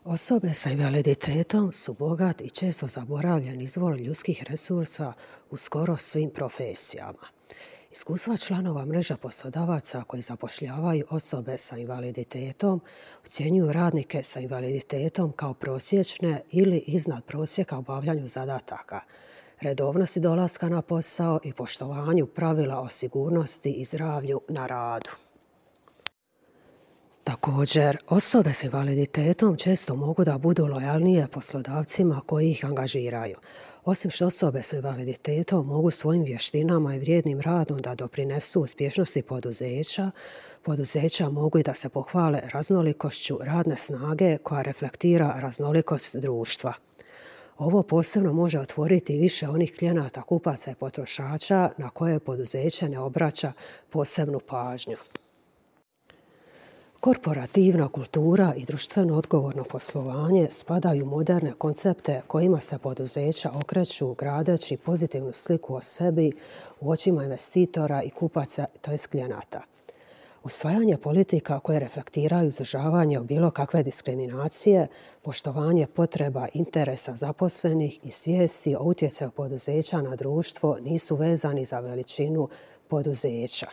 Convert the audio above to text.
Osobe sa invaliditetom su bogat i često zaboravljen izvor ljudskih resursa u skoro svim profesijama. Iskustva članova mreža poslodavaca koji zapošljavaju osobe sa invaliditetom ocjenjuju radnike sa invaliditetom kao prosječne ili iznad prosjeka u obavljanju zadataka, redovnosti dolaska na posao i poštovanju pravila o sigurnosti i zdravlju na radu. Također, osobe s invaliditetom često mogu da budu lojalnije poslodavcima koji ih angažiraju. Osim što osobe s invaliditetom mogu svojim vještinama i vrijednim radom da doprinesu uspješnosti poduzeća mogu i da se pohvale raznolikošću radne snage koja reflektira raznolikost društva. Ovo posebno može otvoriti više onih klijenata, kupaca i potrošača na koje poduzeće ne obraća posebnu pažnju. Korporativna kultura i društveno odgovorno poslovanje spadaju u moderne koncepte kojima se poduzeća okreću gradeći pozitivnu sliku o sebi u očima investitora i kupaca, tj. klijenata. Usvajanje politika koje reflektiraju izdržavanje od bilo kakve diskriminacije, poštovanje potreba interesa zaposlenih i svijesti o utjecaju poduzeća na društvo nisu vezani za veličinu poduzeća.